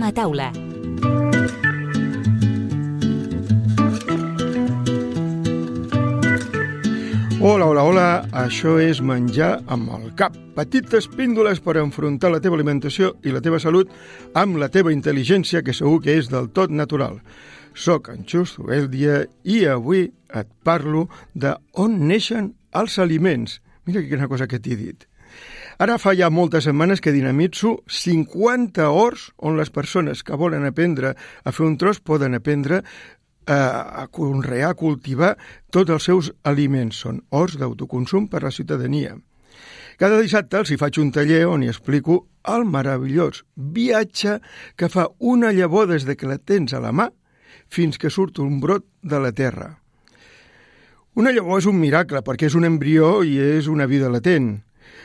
Som a taula. Hola, això és menjar amb el cap. Petites píndoles per enfrontar la teva alimentació i la teva salut amb la teva intel·ligència, que segur que és del tot natural. Soc en Xus Zubeldia i avui et parlo de on neixen els aliments. Mira quina cosa que t'he dit. Ara fa ja moltes setmanes que dinamitzo 50 horts on les persones que volen aprendre a fer un tros poden aprendre a conrear, a cultivar tots els seus aliments. Són horts d'autoconsum per a la ciutadania. Cada dissabte els hi faig un taller on hi explico el meravellós viatge que fa una llavor des que la tens a la mà fins que surt un brot de la terra. Una llavor és un miracle perquè és un embrió i és una vida latent.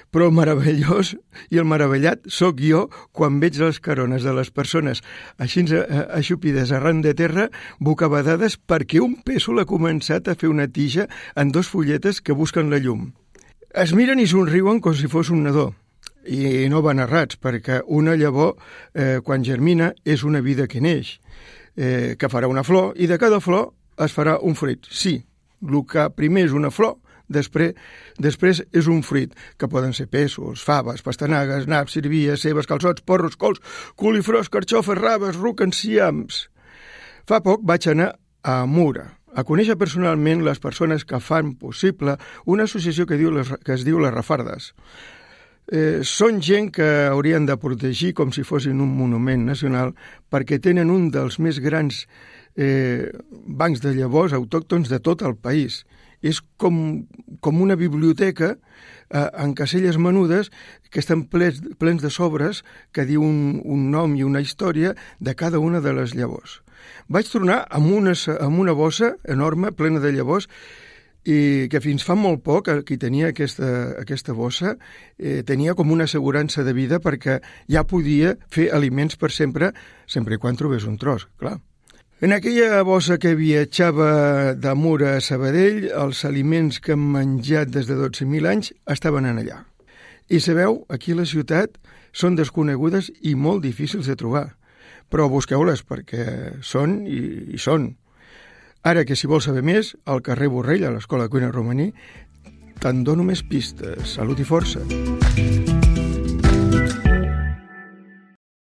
Però el meravellós i el meravellat sóc jo quan veig les carones de les persones així aixupides arran de terra, bocabadades perquè un pèsol ha començat a fer una tija en 2 fulletes que busquen la llum. Es miren i somriuen com si fos un nadó. I no van errats, perquè una llavor, quan germina, és una vida que neix, que farà una flor, i de cada flor es farà un fruit. Sí, el que primer és una flor, després és un fruit, que poden ser pèsols, faves, pastanagues, naps, sirvies, cebes, calçots, porros, cols, coliflors, carxofes, raves, ruc, enciams. Fa poc vaig anar a Mura a conèixer personalment les persones que fan possible una associació que es diu Les Refardes. Són gent que haurien de protegir com si fossin un monument nacional perquè tenen un dels més grans bancs de llavors autòctons de tot el país. És com una biblioteca en caselles menudes que estan plens de sobres que diu un nom i una història de cada una de les llavors. Vaig tornar amb una bossa enorme plena de llavors i que fins fa molt poc qui tenia aquesta bossa tenia com una assegurança de vida perquè ja podia fer aliments per sempre i quan trobés un tros, clar. En aquella bossa que viatjava de Mura a Sabadell, els aliments que hem menjat des de 12.000 anys estaven allà. I sabeu, aquí a la ciutat són desconegudes i molt difícils de trobar, però busqueu-les perquè són i són. Ara que si vols saber més, al carrer Borrell, a l'Escola de Cuina Romaní, te'n dono més pistes. Salut i força!